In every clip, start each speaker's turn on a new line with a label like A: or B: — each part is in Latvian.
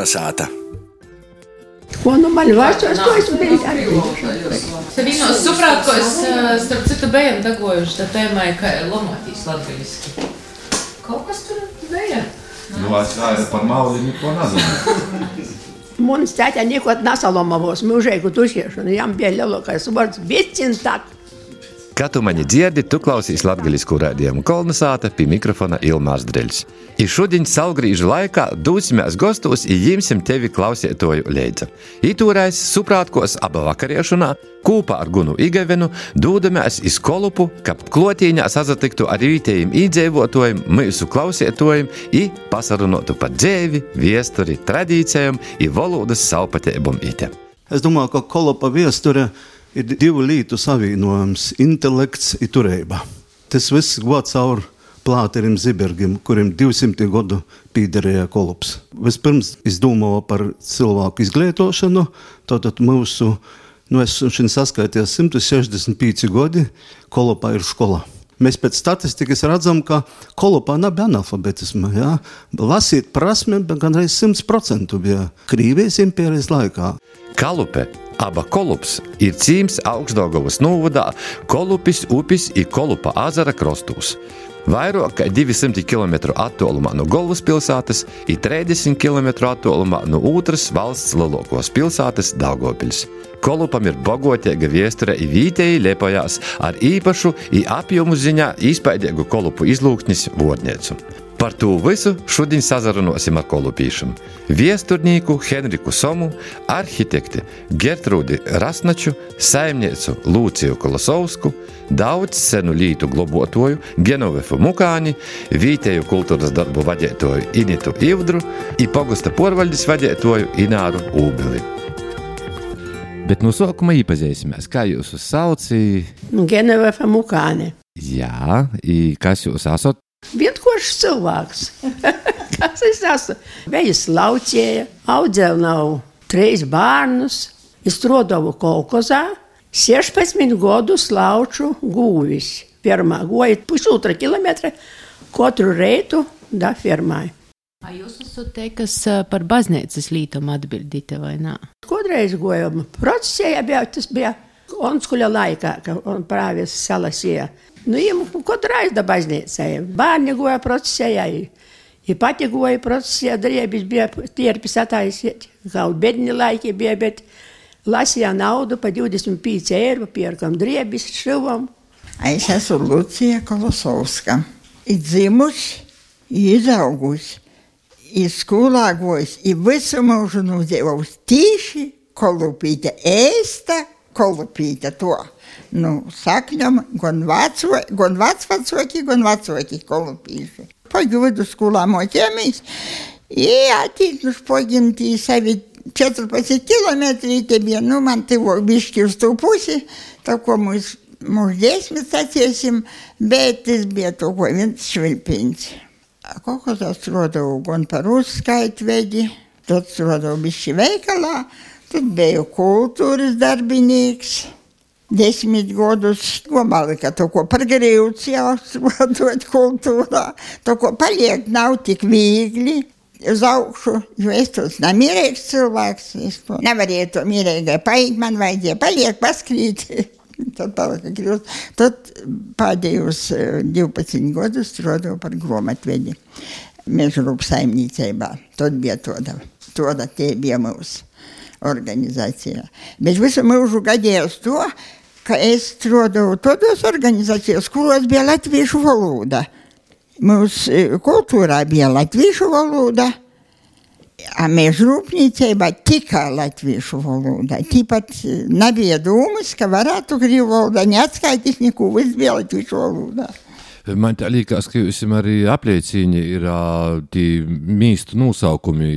A: Kolnesāta.
B: Ko nu man vārdstos, to es biju atbildējuši.
C: Te vienos suprātkos, starp citu, bijām dagojuši tā tēmai, ka lomotīs latviski. Kaut kas tur bija.
D: Nu, es vairs par mauli neko nezinu.
B: Mums tētā nekot nasalomavos mūžēgu tušiešanu. Jām bija lielākais vārds Vicintāk.
E: Kā tu mani dzirdi, tu klausīs latgaļisku raidījumu Kolnesāta, pie mikrofona Ilmārs Dreļs. I šodien saulgrīžu laikā dūsimies gostos i jimsim tevi klausietoju leidza. Itūrais suprātkos aba vakariešunā, kūpā ar Gunu Igavenu, dūdamies iz Kolupu, kap klotīņā sazatiktu ar vietējiem īdzeivotojiem, mūsu klausietojiem i pasarunotu par dzēvi, viesturi, tradīcijām i valodas savpateibum ite.
F: Es domāju, ka Kolupa viesture ir divu lītu savienojums – intelekts i turība. Tas viss gods caur Plāterim Zibergim, kurim 200 gadu pīderēja Kolups. Vispirms izdomāja par cilvēku izglītošanu, tātad mūsu, es šodien saskaities 165 gadi, Kolupā ir škola. Mēs pēc statistikas redzam, ka Kolupā nav analfabetisma. Ja? Lasīt prasme, bet gan reiz 100% bija Krīvijas impērijas laikā.
E: Kalupe, aba Kolups, ir cīms Augstdaugavas novadā Kolupis upis i Kolupa azara krostūs. Vairāk kā 200 km attālumā no Galvaspilsētas i 30 km attālumā no otras valsts lielākās pilsētas Daugavpils. Kolupam ir bagātīga viesture i vietēji lepojās ar īpašu i apjomu ziņā izpaidīgu Kolupu izlūksnis vārnīcu. Par to visu šodien sazarunosim ar kolupīšam. Viesturnīku Henriku Somu, arhitekti Gertrūdi Rasnaču, saimniecu Lūciju Kolosovsku, daudz senu lītu globotoju Genovefu Mukāni, vietēju kultūras darbu vadētoju Initu Ivdru i pogusta porvaļdes vadētoju Ināru Ūbeli. Bet no sākuma īpazīsimies, kā jūs sauci?
B: Genovefa Mukāni.
E: Jā, i kas jūs esat?
B: Vienkārši cilvēks. Kas es esmu? Bejis laucēja, audzēju nav 3 bērnus, strādāju kolkozā, 16 gadus lauču gūvis. Firmā goja 1,5 kilometra katru reitu da firmai.
C: A jūs esat te, kas par baznīcas lītumu atbildīte vai nā?
B: Kodreiz gojam procesēja, tas bija Onskuļa laikā, ka on prāvies salasīja. Nu, jiem kodreiz da baznīcai. Bērni goja procesēja, i pati goja procesēja, driebis bija tierpis attaisiet. Kaut bedni laiki bija, bet lasīja naudu pa 25 eiro, pierkam driebis, šivam.
G: Es esmu Lūcija Kolosovska. I dzimusi, i izaugusi, i skolā gojusi, i visu mūžu nudzīvojusi tīši Kolupīte, ēsta Kolupīte to. Nu, sakņam, gan vecvecāki, gan vecāki kolupīši. Pagi vidusskolā mocījāmies, i attīknuši pagimtī savi 14 kilometri, te bija, nu, man tivok bišķi uz tū pusi, tā ko mūs 10 saciesim, bet tas bija to, ko viens švilpiņš. Kaut ko tas strādāju gan par uzskaitvedi, tad strādāju bišķi veikalā, tad biju kultūras darbinīgs. 10 gadus domāju, ka to, ko par grīvs jāstrādāt kultūrā, to, ko paliek, nav tik viegli uz augšu, jo es tos nemierīgs cilvēks, es to nevarēju to mierīgai paiet, man vajadzēja paliek, paskrīt, tad palika grīvs. Tad pēdējos 12 gadus strādāju par grāmatvedi Mežrūp saimniecībā. Tad bija toda te bija mūsu organizācijā. Bet visu mūžu gadījos to, ka es strādāju todos organizācijās, kuros bija latviešu valoda. Mūsu kultūrā bija latviešu valoda, a mežrūpniecībā tikai latviešu valoda. Tāpat nebija dūmas, ka varētu krievu valodā neatskaitīt neko, viss bija latviešu valodā.
E: Man tā liekas, ka jums arī apliecīņi ir tī mīstu nosaukumi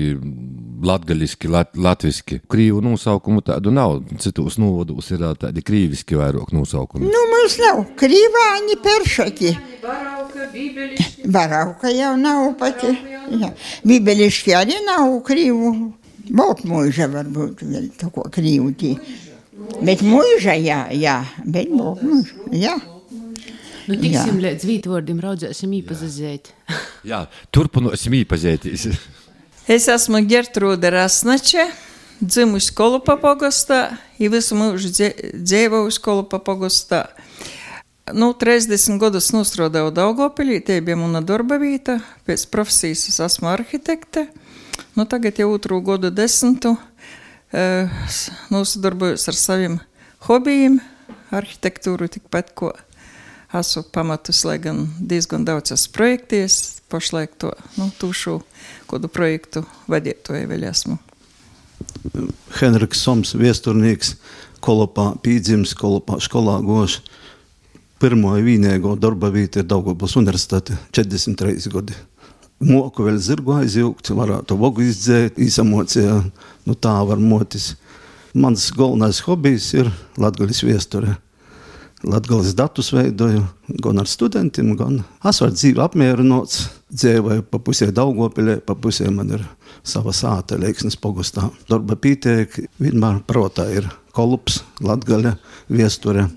E: latgaļiski, latviski. Krīvu nosaukumu tādu nav. Citos novados ir tādi krīviski vairāk nosaukumi.
G: Nu, mums nav. Krīvāņi, peršaki.
C: Varauka, bībeliški.
G: Varauka jau nav pati. Jā. Bībeliški arī nav krīvu. Boltmuiža varbūt vēl tā ko krīvu tī. Bet muiža, jā. Bet boltmuiža, jā.
C: Nu, tiksim līdz vītvārdim, raudzēsim īpazazēt.
E: Jā, turpinosim īpazētīs.
G: Es esmu Gertrūda Rasnače, dzimusi Kolupa pogostā, i visu mūžu dzīvojusi Kolupa pogostā. 30 gadus nostrodēju Daugavpilī, tie bija mana darba vieta, pēc profesijas es esmu arhitekte. Tagad jau 2. gadu 10. Nosodarbojos ar saviem hobijiem, arhitektūru tikpat, ko esmu pamatus, lai gan diezgan daudz esmu projekties, pašlaik to tūšu kādu projektu vadītoju vēl esmu.
F: Henriks Soms, viesturnīgs, Kolupā pīdzims, Kolupā skolā goš. Pirmo vīnēgo darba vīta ir Daugavpils universitāte, 43 gadi. Moku vēl zirgu aizjūgt, varētu vogu izdzēt, īsamocījā, tā var motis. Mans galvenais hobijs ir latgaļas viesture. Latgaļas datus veidoju, gan ar studentiem, gan es varu dzīvi apmierinots, dzīvoju pa pusē Daugavpilē, pa pusē man ir sava sāta Leiksnes pogostā. Darba pīteik, vienmēr protā ir Kolups, Latgaļa, viesture,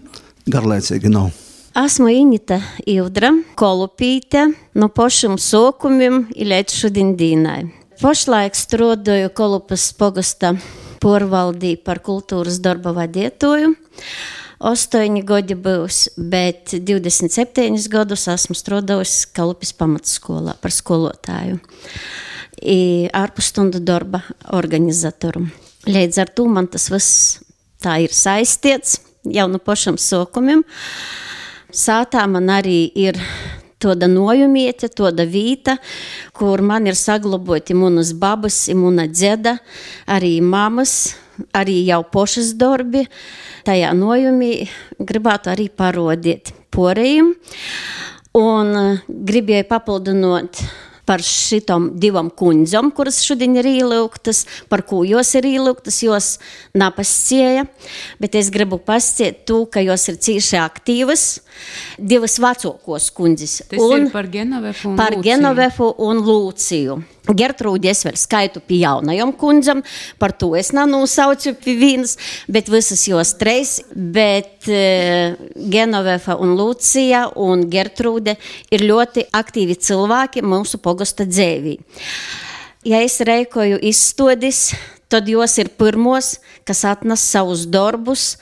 F: garlaicīgi nav.
A: Esmu Inita Ivdra, Kolupīte, no pašiem sākumiem līdz šodien dienai. Pašlaik strādāju Kolupas pogasta porvaldī par kultūras darba vadītoju. 8 gadi būs, bet 27 gadus esmu strādājusi Kolupis pamatskolā par skolotāju. Ārpusstundu darba organizatoru. Līdz ar to man tas viss tā ir saistīts jau no pašiem sākumiem. Sātā man arī ir tāda nojumiete, tāda vīta, kur man ir saglaboti munas babas, muna dzeda, arī mamas, arī jau pošas darbi. Tajā nojumī gribētu arī parodīt porējiem. Un gribēju papildinot par šitom 2 kundzom, kuras šodien ir ielūgtas, par ko jos ir ielūgtas, jos napascēja, bet es gribu pasciet to, ka jos ir cīši aktīvas, 2 vecākos kundzes.
C: Tas ir par Genovefu un Lūciju. Par
A: Genovefu un Lūciju. Gertrūdi es vēl skaitu pie jaunajom kundzam, par to es nenosaucu pie vienas, bet visas jos 3, bet Genovefa un Lūcija un Gertrūde ir ļoti aktīvi cilvēki mūsu pogasta dzēvī. Ja es reikoju izstodis, tad jos ir pirmos, kas atnes savus darbus,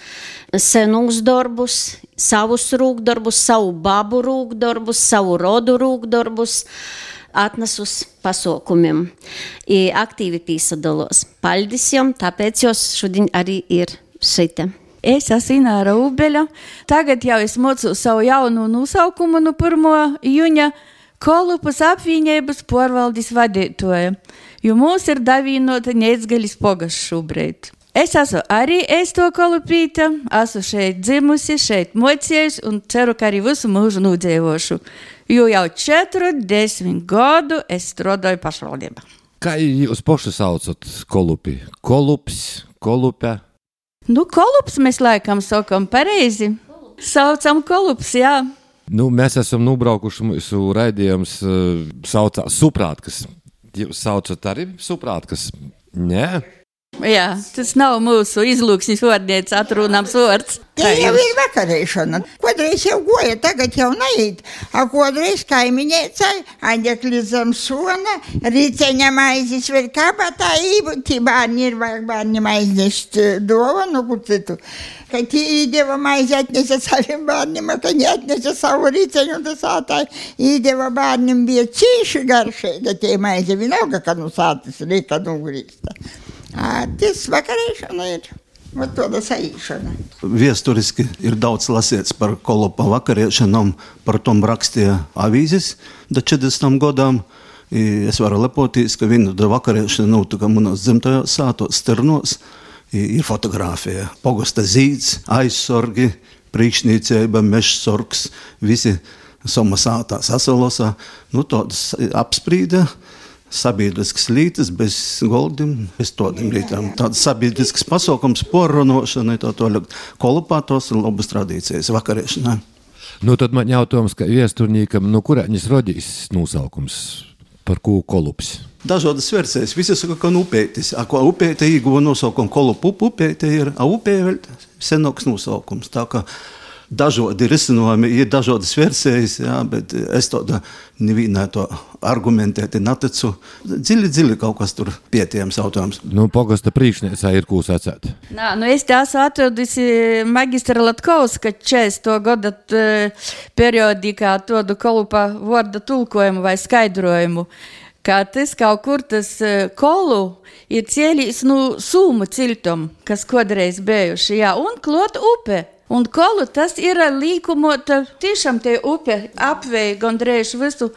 A: senus darbus, savus rūkdarbus, savu babu rūkdarbus, savu rodu rūkdarbus, atnesus pasaukumiem. Aktīvi pīsadalos. Paldies jom, tāpēc jos šodien arī ir šite.
H: Es esmu Ināra Ubeļa. Tagad jau es mocu savu jaunu nosaukumu no 1. jūņa Kolupas apvienības porvaldes vadītoja, jo mums ir davīnota Neicgaļas pogas šobrīd. Es esmu arī to Kolupīte, esmu šeit dzimusi, šeit mocējusi un ceru, ka arī visu mūžu nudzīvošu. Jo jau 40 gadu es strādāju pašvaldībā.
E: Kā jūs paši saucat Kolupi? Kolups, Kolupe?
H: Kolups mēs laikam sakam pareizi. Saucam Kolups, jā.
E: Mēs esam nubraukuši mūsu raidījums saucā Suprātkas. Jūs saucat arī Suprātkas? Nē?
H: Jā, tas nav mūsu izlūksnis vārdniec atrunams vārds.
G: Tie jau ir vakarēšana. Kodreiz jau goja, tagad jau neiet. Kodreiz kaimiņēcai, aņģekli zem sona, rīceņa maizes vēl kabatā, tī bārni ir vajag bārni maiznešt dovanu, kur citu. Ka tī īdeva maizi atnesa saviem bārnim, ka neatnesa savu rīceņu, tas ātāji īdeva bārnim bija cīši garšēga tie maizi, vienalga, ka sātas rīka nugrīsta. Tas vakarēšana ir tāda saīšana.
F: Viesturiski ir daudz lasīts par Kolupa vakarēšanām, par tom rakstīja avīzes da 40 gadām. Es varu lepoties, ka viena vakarēšana notika manos dzimtajos sātos Stirnos. Ir fotografija, pogasta zīds, aizsorgi, priekšnīcība, mežsorgs, visi soma sātā sasalosā. Tādas apsprīda. Sabiedrisks lītas bez goldiem, bez tādiem lītām. Tāds sabiedrisks pasaukums, porrunošana, Kolupā tos ir labas tradīcijas vakarēšanā.
E: Tad man jautājums, ka viesturnīkam, kurēņas rodīs nosaukums, par ko Kolups?
F: Dažādas versijas. Visi saka, ka upētis. Ko upēte īguva nosaukumu Kolupu, upēte ir, upē vēl senāks nosaukums. Tā kā dažādi risinājumi, ir dažādas versijas, jā, bet es tāda nevienā to argumentēti neticu. Dziļi kaut kas tur pietiekams jautājums.
E: Nu, pogasta priekšniecā ir ko sacēt.
H: Nā, nu es te esmu atradusi magistra Latkovska 40. gada periodikā tādu Kolupa vārda tulkojumu vai skaidrojumu, ka tas kaut kur tas kolu ir cēlīs Sūmu ciltom, kas kodreiz bijuši, jā, un klot upe. Un kolu tas ir līkumota, tiešām te upe apvei gandrīz visu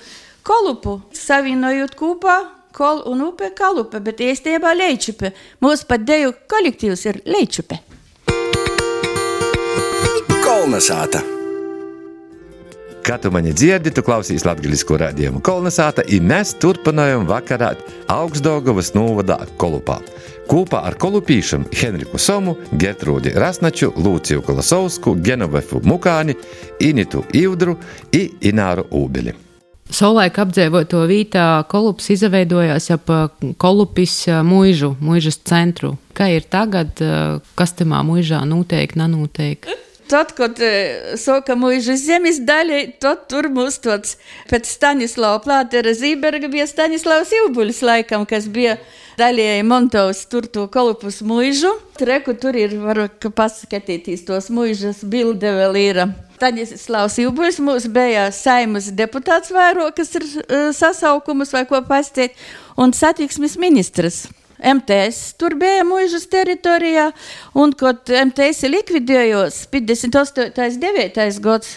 H: Kolupu, savienojot kopā kolu un upe Kalupe, bet īstenībā Leičupe. Mūsu pat deju kolektīvs ir Leičupe.
I: Kolnesāta.
E: Kā tu mani dzirdi, tu klausīs latgalisko rādījumu Kolnesāta, i mēs turpinājam vakarāt Augstdaugavas novadā Kolupā. Kopā ar kolupīšam Henriku Somu, Gertrūdi Rasnaču, Lūciju Kolosovsku, Genovefu Mukāni, Initu Ivdru i Ināru Ūbeli.
C: Savulaik apdzīvoto vītā Kolups izveidojās ap Kolupis muižas centru. Kā ir tagad, kas tamā muižā notiek, nenotiek?
H: Tad, kad soka muižas zemes daļa, tad tur mūs tāds pēc Stanislava Plātera Zīberga bija Stanislavs Ilbuļs laikam, kas bija daļēji montovs tur to Kolupus muižu. Reku tur ir, varu paskatītīs tos muižas bilde vēl ir. Stanislavs Ilbuļs mūs bija Saimas deputāts vairo, kas ir sasaukumus vai ko pastīt, un satiksmes ministrs. MTS tur bija muižas teritorijā, un, kad MTS likvidējos 58.9. gads,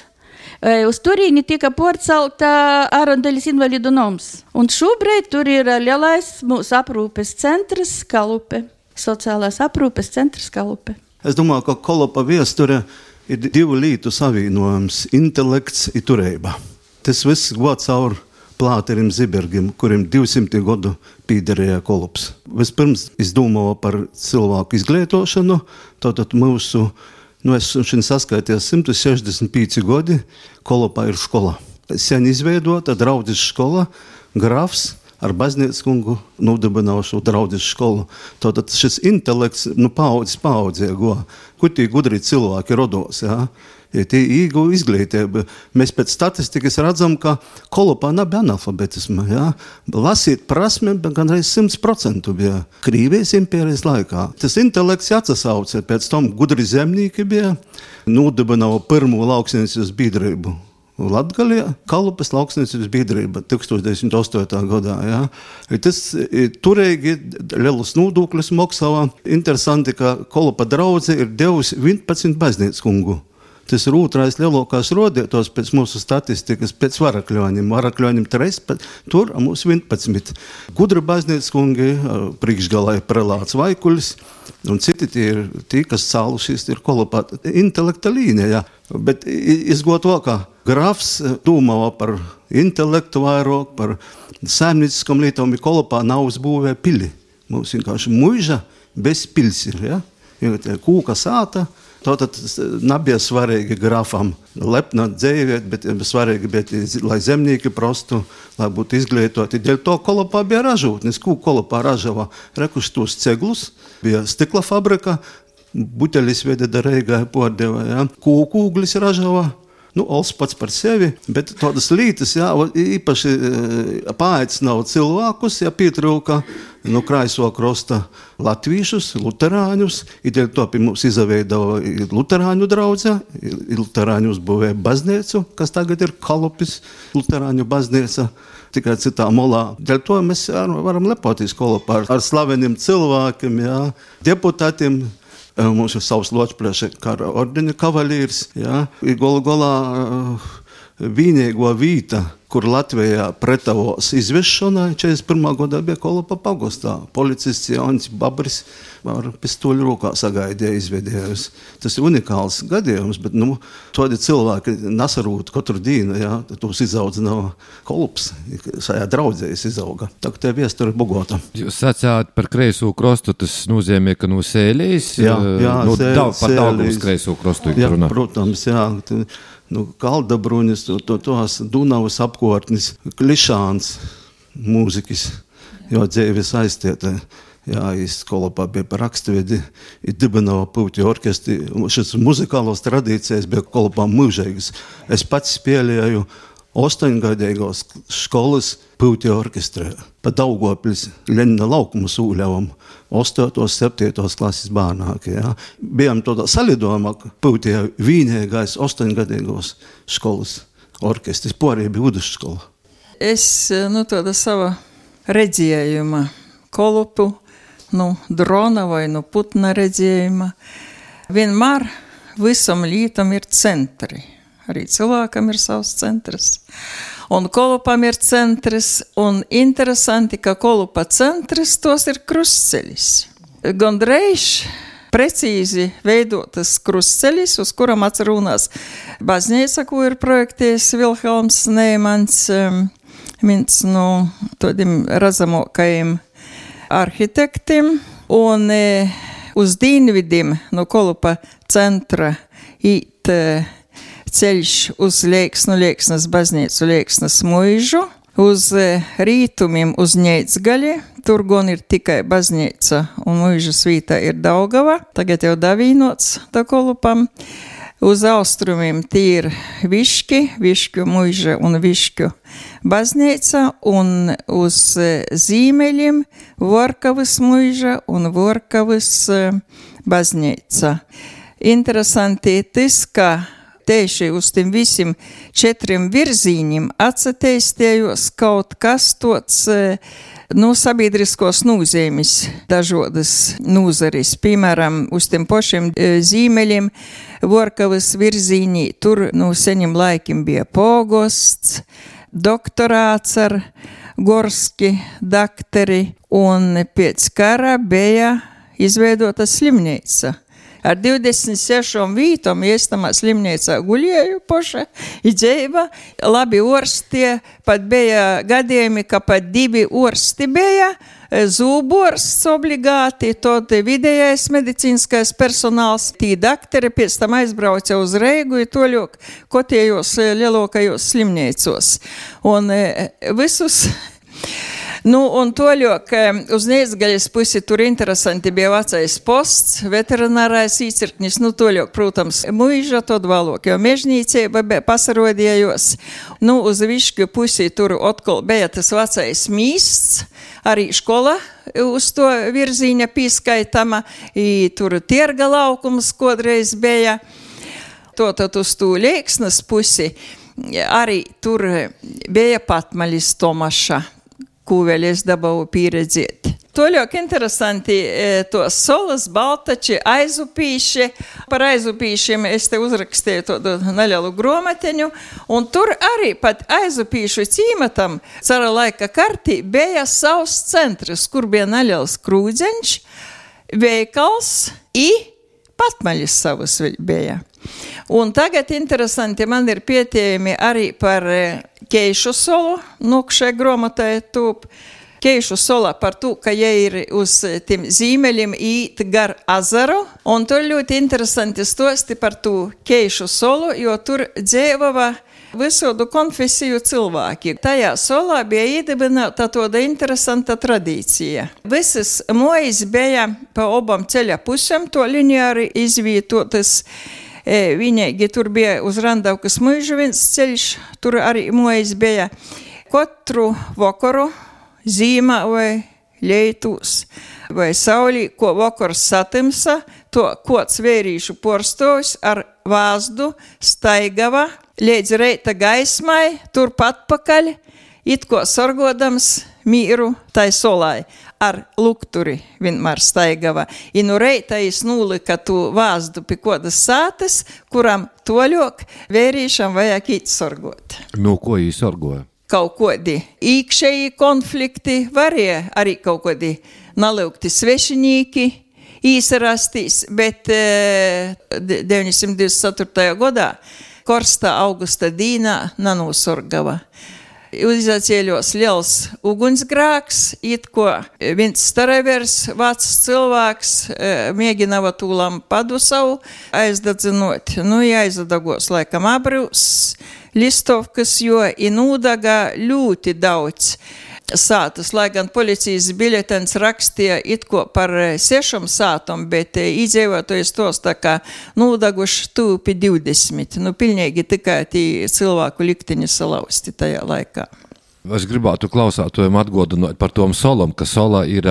H: uz turīni tika porcelta Arondaļas invalidu noms. Un šobrīd tur ir lielais mūsu aprūpes centrs Kalupe, sociālās aprūpes centrs Kalupe.
F: Es domāju, ka Kolupa viesture ir divu lītu savienojums – intelekts i turība. Tas viss gods caur Plāterim Zībergim, kurim 200 gadu pīderēja Kolups. Vispirms es domāju par cilvēku izglītošanu, tātad mūsu, es šodien saskaitījos 165 gadi, Kolupā ir škola. Sen izveidota draudzes škola, grafs ar baznīckungu nodibināšu draudzes školu. Tātad šis intelekts, paudzē go, kur tie gudri cilvēki rodos, jā. Ja tie īgu izglītība. Mēs pēc statistikas redzam, ka Kolupā nav analfabetisma. Ja? Lasīt prasme gandrīz 100% bija Krīvijas impērijas laikā. Tas intelekts atsasauca, pēc tam gudri zemnieki bija, nodibināja pirmo lauksniecības biedrību Latgalijā, Kalupas lauksniecības biedrība 1908. gadā. Ja? Tas turīgi lielus nodokļus maksāja. Interesanti, ka Kolupa draudze ir devusi 11 baznīckungu. Tas ir otrais lielākais rodietos pēc mūsu statistikas, pēc Varakļoņiem. Varakļoņiem 13, tur mums 11. Gudri baznīckungi, priekšgalā ir prelāts Vaikuļs, un citi tie, kas cālušies, ir Kolupā intelekta līnija. Ja. Bet izgot to, ka grafs domāja par intelektu vairāk, par saimnieciskam lietām, Kolupā nav uzbūvē pili. Mums vienkārši muiža bez pils ir, ja? Kūka sāta. Tātad nebija svarīgi grafam lepna dzīvēt, bet svarīgi bija, lai zemnieki prostu, lai būtu izglītoti. Dēļ to Kolupā bija ražotnes. Ko Kolupā ražava? Rekuštos ceglus, bija stikla fabrika, buteļis veda Reigai pārdeva, ja? Kūkūglis ražava. Ols pats par sevi, bet tādas lītas, jā, īpaši paaicināja cilvēkus, ja pietrūka Kraiso krosta latvīšus, luterāņus, i dēļ to pie mums izveidava luterāņu draudze, luterāņu uzbūvēja baznīcu, kas tagad ir Kalupis luterāņu baznīca, tikai citā molā. Dēļ to mēs varam lepoties Kolupā ar slaveniem cilvēkiem, jā, deputātiem. Mums ir savs Ločplēša kara ordeņa kavalīrs, ja, golā vienīgo vīta, kur Latvijā pretavos izvešanai, 41. gadā bija Kolupa pagostā. Policists Jānis Babris ar pistoļu rokā sagaidīja izvedējus. Tas ir unikāls gadījums, bet, tādi cilvēki nasarūt katru dienu, ja, tos izaudzināja Kolups, sajā draudzējas izauga. Tā, ka tie viestori Bogota. Jūs
E: sacāt par kreiso krostu, tas nozīmē, ka no Sēlijas, par Daugavas kreiso krostu
F: jā, runā. Protams, jā. Kaldabruņas, tos Dunavas apkārtnis, Klišāns mūzikas, jo dzīves aiztieta. Jā, Kolopā bija par raksturvidi, dibināja Pūtju orkestri. Šis muzikālos tradīcijas bija Kolopā mūžīgas. Es pats spēlēju 8-gadīgos skolas Pūtju orkestrē. Pa Daugavpils Lenina laukuma sūļavam 8. 7. klases bērnāki. Jā. Bijām tādā salidojumā Pūtju vienīgais 8-gadīgos skolas orkestris. Porija bija vidusskola.
J: Es, tāda sava redzējuma Kolupu, drona vai putna redzējuma. Vienmēr visam lītam ir centri. Arī cilvēkam ir savs centrs. Un Kolupam ir centrs. Un interesanti, ka Kolupa centrs tos ir krustceļis. Gandrīz precīzi veidotas krustceļis, uz kuram atsarunās baznīca, ko ir projektējis Vilhelms Neimans, viens no tādiem redzamākajiem arhitektiem, un uz dienvidiem no Kolupa centra īt ceļš uz Lieksnas baznīcu, Lieksnas muižu, uz rītumiem uz Ņeidzgali, tur gan ir tikai baznīca un muižas vītā ir Daugava, tagad jau davīnots da Kolupam. Uz austrumiem tie ir Višķu muiža un Višķu baznīca, un uz zīmeļiem Vorkavas muiža un Vorkavas baznīca. Interesanti tas, ka tieši uz tiem visiem 4 virzīņiem atsateistējos kaut kas tots sabiedriskos nūzīmes, dažodas nūzaris. Piemēram, uz tiem pašiem zīmeļiem Vorkavas virzīņī, tur seņiem laikim bija pogosts, doktorāts ar Gorski dakteri, un pēc kara bija izveidota slimnīca. Ar 26 vītom, ja es tamā slimnīcā guļēju poša, idzēva, labi orstie, pat bija gadījumi, ka pat 2 orsti bija, zūborsts obligāti, tad vidējais medicīnskais personāls, tī dakteri pēc tam aizbrauca uz Reigu, i toļok kotējos lielokajos slimnīcos. Un visus... un toļok uz Ņeidzgaļas pusi tur interesanti bija vecais posts, veterinārais īcirknis, toļok, protams, muiža, tad valok, jo mežnīcība pasarodījos. Uz Višķu pusi tur otkal bija tas vecais mīsts, arī škola uz to virzīņa pīskaitama, i tur tierga laukums kodreiz bija. Tad uz tū Lieksnas pusi arī tur bija Patmalis Tomaša, ko vēl es dabūju pieredzēt. Toļok interesanti tos solas, baltači, aizupīši. Par aizupīšiem es te uzrakstīju tādu nelielu gromateņu, un tur arī pat aizupīšu cīmatam cara laika kartī bija savs centrs, kur bija neliels krūdzeņš, veikals i Patmaļis savus bija. Un tagad interesanti man ir pietiejami arī par Keišu solu, šai gromatai tūp. Keišu sola par to, ka ja ir uz tiem zīmeļiem īt gar azaru, un tur ļoti interesanti stosti par to Keišu solu, jo tur dzēvava visodu konfesiju cilvēki. Tajā solā bija iedibināta tāda interesanta tradīcija. Visas mojas bija pa obam ceļa pusēm, to lineāri izvietotas. Viņai tur bija uz Randaukas muižu viens ceļš, tur arī mojas bija. Katru vakaru, zīmā vai leitūs vai saulī, ko vakars satimsa, to kods vērīšu porstovs ar vāzdu staigava līdz reita gaismai, turpat pakaļ, it ko sorgodams mīru tai solai. Ar lukturi vienmēr staigava. I reita es nūlika tu vāzdu pie kodas sātes, kuram toļok vērīšam vajag īt sorgot.
E: Ko jūs sorgoja?
J: Kaut kodi īkšēji konflikti, varēja arī kaut kodi naliukti svešinīki īsarastīs, bet 924. gadā Korsta augusta dīnā nanūsorgava. Izacēļos liels ugunsgrāks, it ko viens staravers, vats cilvēks, mēģinava tūlam padu savu aizdadzinot. Aizadagos laikam abrūs, listovkas, jo inūdaga ļoti daudz. sātas, lai gan policijas biļetens rakstīja it ko par 6 sātam, bet iedzīvotojas tos tā kā nūdaguši tūpi 20. Pilnīgi tikai tī cilvēku likteņi salausti tajā laikā.
E: Es gribētu klausātojiem atgādināt par tom solam, ka sola ir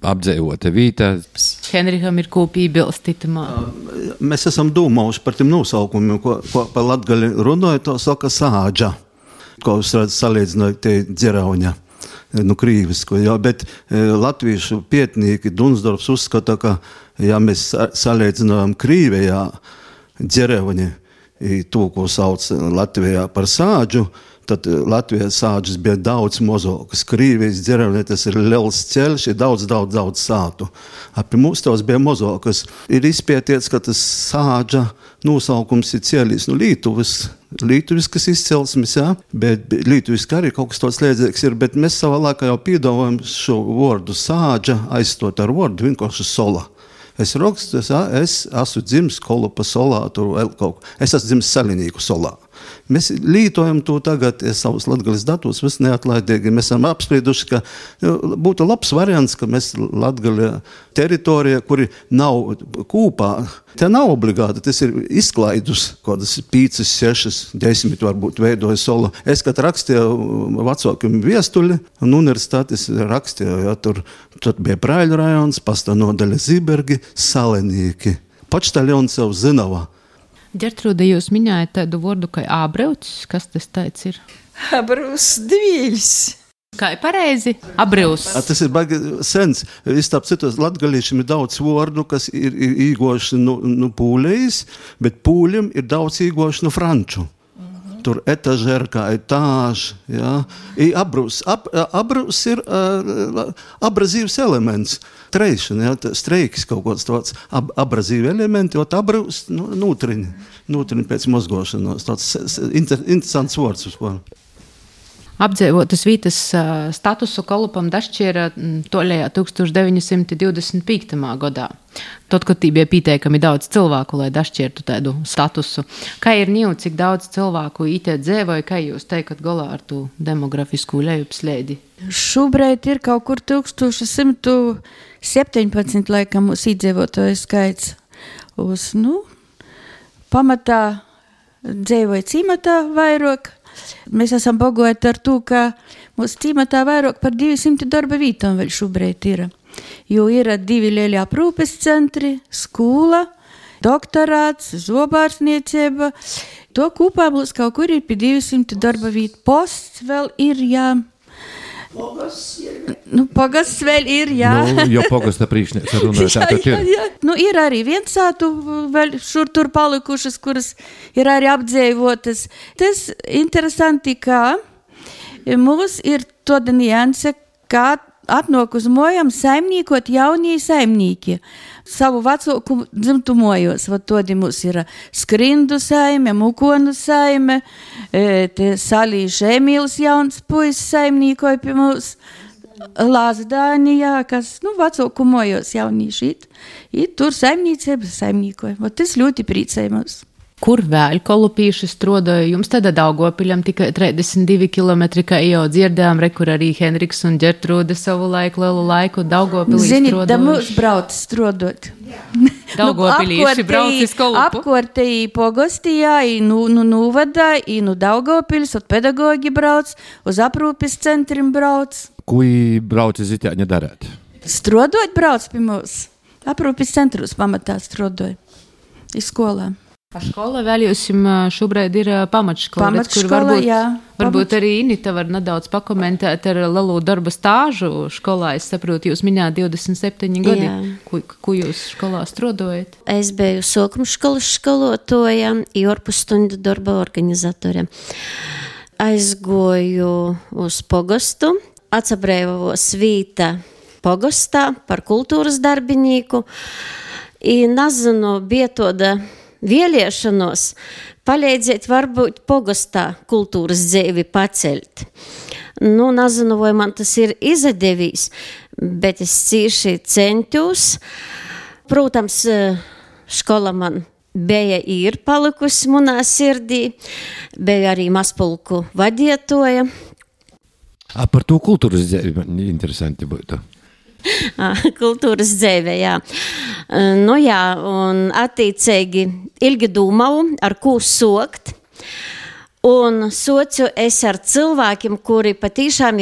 E: apdzīvota vīta.
C: Henrikam ir ko piebilst itamā.
F: Mēs esam domājuši par tiem nosaukumiem, ko par latgali runāja, to saka sāģa, ko jūs redzat salīdzināt te dzerauņa, krīvisko, jā, bet latviešu pietnīki Dunsdorfs uzskata, ka, ja mēs salīdzinājam Krīvijā dzerauņi, to, ko sauc Latvijā par sāģu, tad Latvijā sāģis bija daudz mazākas. Krīvijas dzerauņi, tas ir liels ceļš, ir daudz sātu. Pie mums tās bija mazākas. Ir izpētīts, ka tas sāģa nosaukums ir cēlīs Lītuviskas izcelsmes, jā, bet Lītuviski arī kaut kas tāds līdzīgs ir, bet mēs savā laikā jau piedāvājam šo vārdu sāģa aizstot ar vārdu vienkārši sola. Es rakstu, es esmu dzimis Kolupa solā, tur vēl kaut ko. Es esmu dzimis Salinīku solā. Mēs lītojam to tagad, savus latgalis datus, viss neatlaidīgi. Mēs esam apsprieduši, ka būtu labs variants, ka mēs latgali teritorija, kuri nav kūpā, te nav obligāti, tas ir izklaidus, kādas 5, 6, 10 varbūt veidoja sola. Es, kad rakstīju vecākiem viestuļi, un universitātes rakstīju, ja, tur bija Praiļu rajons, pasta nodaļa Zibergi, Salinīki. Počtaļons jau Zinava.
C: Ģertrūde, jūs minējat tādu vārdu kā ābreucis, kas tas tāds ir?
J: Abrūs dvīļs.
C: Kā ir pareizi? Abrūs.
F: Tas ir baigi sens. Tāp citos latgalīšiem ir daudz vārdu, kas ir īgoši no pūlējas, bet pūļiem ir daudz īgoši no franču. Tur etažerka, etāž, jā. Abrūs ir abrazīvs elements. Treišana, jā, streikis kaut kāds tāds abrazīvi elementi, jo abrūs nūtriņi pēc mozgošanos. Tāds interesants vārds uz ko.
C: Apdzīvotas vītas statusu Kolupam dašķiera toļajā 1925. gadā. Tad, kad tī bija pīteikami daudz cilvēku, lai dašķiertu tādu statusu. Kā ir ņū, cik daudz cilvēku itē dzēvoja, kā jūs teikat galā ar to demografisku lejupslēdi?
H: Šobrīd ir kaut kur 1117 laikam mūsu iedzīvotāju skaits. Uz, pamatā dzēvoja cīmatā vairāk. Mēs esam bagoti ar to, ka mūsu cīmatā vairāk par 200 darba vītām vēl šobrīd ir. Jo ir 2 lielie aprūpes centri, skola, doktorāts, zobārstniecība. To kopā mums kaut kur ir pie 200 darba vītu. Posts vēl ir, jā. Pogasts vēl ir, jā.
E: Jo pogasta priekšniece runāja,
H: jā. Ir arī viensātu vēl šur tur palikušas, kuras ir arī apdzēvotas. Tas interesanti, ka mums ir tāda nianse, kā atnāk uz mojām saimniekot jaunie saimnieki. Savu vecāku dzimtu mojos. Todi mums ir Skrindu saime, Mukonu saime, Salīša Emīls jauns puisis saimnīkoja pie mums, Lazdānijā, kas, vecāku mojos jaunīši. Tur saimniecība saimnīkoja. Tas ļoti priecēja mums.
C: Kur vēl kolupīši strodoja? Jums tādā Daugopiļam tikai 32 kilometri, kā jau dzirdējām, kur arī Henriks un Ģertrūde savu lielu laiku Daugopilī strodoja.
H: Zini, da mums brauc strodot.
C: Daugopilīši brauc iz Kolupu.
H: Apkortēji pogostījā, nūvadā, Daugopils, pedagogi brauc, uz aprūpes centrim brauc.
E: Ko brauc iz itēņa darēt?
H: Strodot brauc pie mums. Aprūpes centrus pamatā strodoja. Iz skolām.
C: A škola vēl jūs šobrīd ir pamatškola, kur varbūt arī Inita var nedaudz pakomentēt ar lielu darba stāžu školā. Es saprotu, jūs minējāt 27 gadi. Ko jūs školā strodojat?
A: Es biju sākumškolas skolotoja, ārpusstundu darba organizatore. Aizgoju uz pogostu, atsabrēvos vīta pogostā par kultūras darbinīku. I nezinu, bija tāda vēlēšanos palīdzēt varbūt pogostā kultūras dzīvi paceļt. Nezinu, vai man tas ir izdevīs, bet es cīši centos. Protams, škola man bija ir palikusi manā sirdī, bija arī mazpulku vadietoja.
E: Par to kultūras dzēvi man interesanti būtu.
A: Kultūras dzēve, jā. Nu jā, un attīcīgi ilgi dūmau, ar ko sokt. Un socu es ar cilvēkiem, kuri patīšām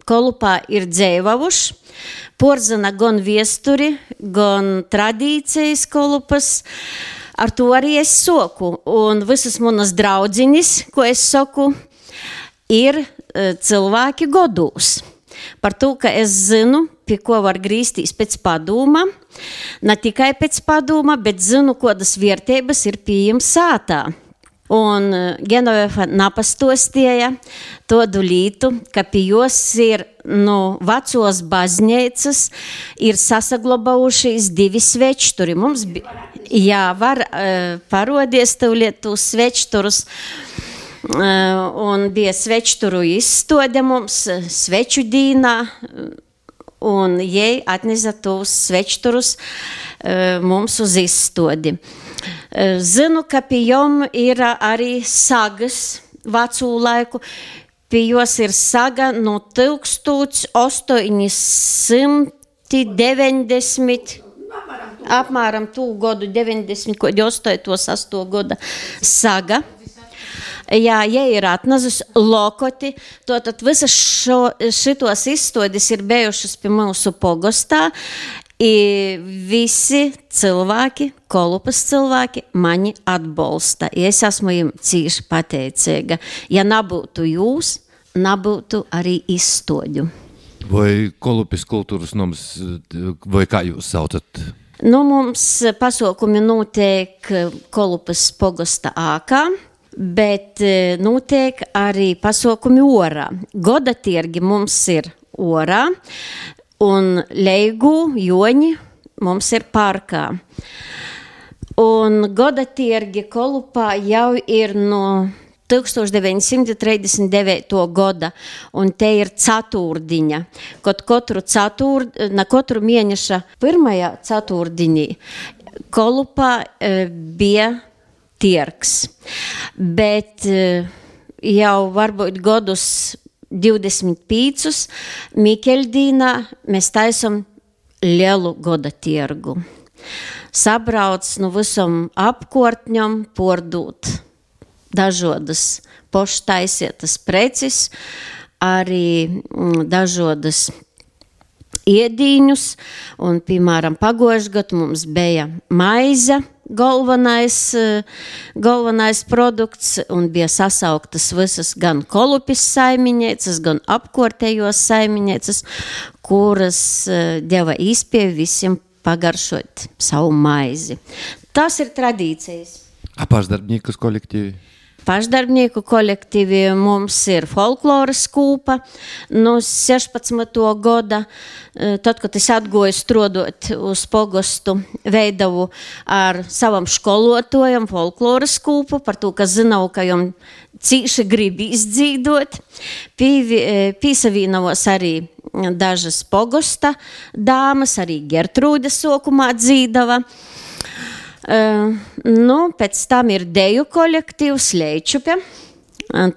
A: Kolupā ir dzēvavuši. Porzina gan viesturi, gan tradīcijas Kolupas. Ar to arī es soku. Un visas manas draudzinis, ko es soku, ir cilvēki godūs. Par to, ka es zinu, pie ko var grīstīs pēc padūma. Ne tikai pēc padūma, bet zinu, kodas vērtības ir pieejams sātā. Un Genovefa napastostieja todu lītu, ka pie jos ir vecos baznīcas ir sasaglabājušies 2 svečturi. Mums var parodies tūliet tos svečturus. Un bija svečturu izstode mums sveču dīnā, un jai atnesa tos svečturus mums uz izstodi. Zinu, ka pie jom ir arī sagas vecū laiku. Pie jos ir saga no 1890, apmēram tū godu 90, 88 goda saga. Jā, ja ir atnazis lokoti, tad visas šitos izstodis ir bijušas pie mūsu pogostā. I visi cilvēki, Kolupas cilvēki, mani atbalsta. Es esmu jums cīši pateicīga. Ja nebūtu jūs, nebūtu arī izstoģu.
E: Vai Kolupis kultūras noms, vai kā jūs saucat?
A: Mums pasaukumi notiek Kolupas pogosta ākā, bet notiek arī pasaukumi orā. Goda tirgi mums ir orā. Un Leigu, Joņi mums ir parkā. Un goda tirgi Kolupā jau ir no 1939. Goda, un te ir ceturtdiņa. Katru mēneša pirmajā ceturtdiņī Kolupā bija tirgs. Bet jau varbūt godus 25. Mikeļdīnā mēs taisam lielu goda tirgu. Sabrauc no visam apkortņam pordūt dažodas poštaisietas preces, arī dažodas iedīņus, un, piemēram, pagojuši gadu mums bija maize, galvenais produkts, un bija sasauktas visas gan Kolupis saimiņēcas, gan apkortējos saimiņēcas, kuras deva īspēju visiem pagaršot savu maizi. Tas ir tradīcijas.
E: Pašdarbnieku kolektīvi?
A: Pašdarbnieku kolektīvi mums ir folkloras kūpa no 16. Goda. Tad, kad es atgoju strodot uz pogostu, veidavu ar savam školotājam folkloras kūpu, par to, ka zināju, ka jom cīši grib izdzīdot. Pīsavīnavos arī dažas pogosta dāmas, arī Gertrūde sokumā dzīdava. Pēc tam ir deju kolektīvs Leičupe.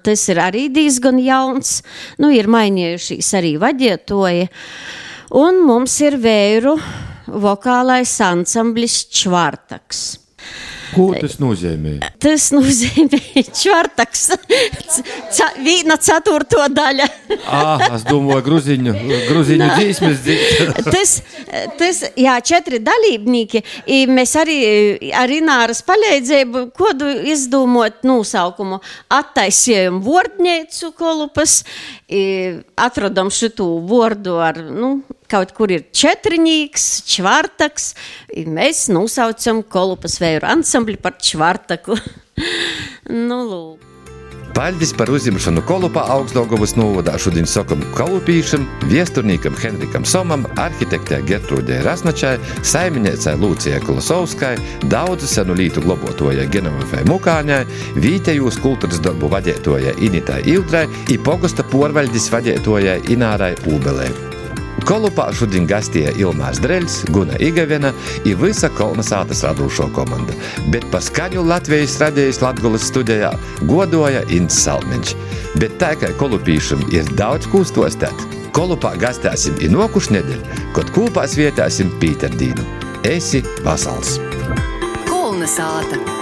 A: Tas ir arī diezgan jauns. Ir mainījušies arī vadietoji. Un mums ir vēru vokālais ansamblis Čvartaks.
E: Ko tas nozīmē?
A: Tas nozīmē Čvartaks. Vīna 4. daļa.
E: Es domāju, gruziņu dzīsmes dzīt.
A: Tas, 4 dalībnieki. Mēs arī ar Ināras palīdzību kodu izdomot nosaukumu. Attaisējam vordneicu Kolupas, atradam šitu vordu ar, kaut kur ir četrnīks, Čvartaks, mēs nosaucam Kolupas vēju ansambli par Čvartaku. Lūk.
E: Paļdis par uzņemšanu Kolupā Augstdaugavas novadā šodien sakam kolupīšam, viesturnīkam Henrikam Somam, arhitektē Gertrūdei Rasnačai, saimiņēcai Lūcijai Kolosovskai, daudzu senu lītu globotojai Genovefai Mukāņai, vītejūs kultūras darbu vadētojai Initai Ildrai i pogosta porvaļdis vadētojai Inārai Ūbelē. Kolupā šodien gastēja Ilmārs Dreļs, Guna Igavena i visa Kolnasātas radūšo komanda. Bet pa skaņu Latvijas radijas Latgolas studijā godoja Ints Salmiņš. Bet tā, ka kolupīšam ir daudz kū stostēt, Kolupā gastēsim i nokuš nedēļ, kod kūpā svietēsim Pīterdīnu. Esi vasals!
K: Kolnasāta!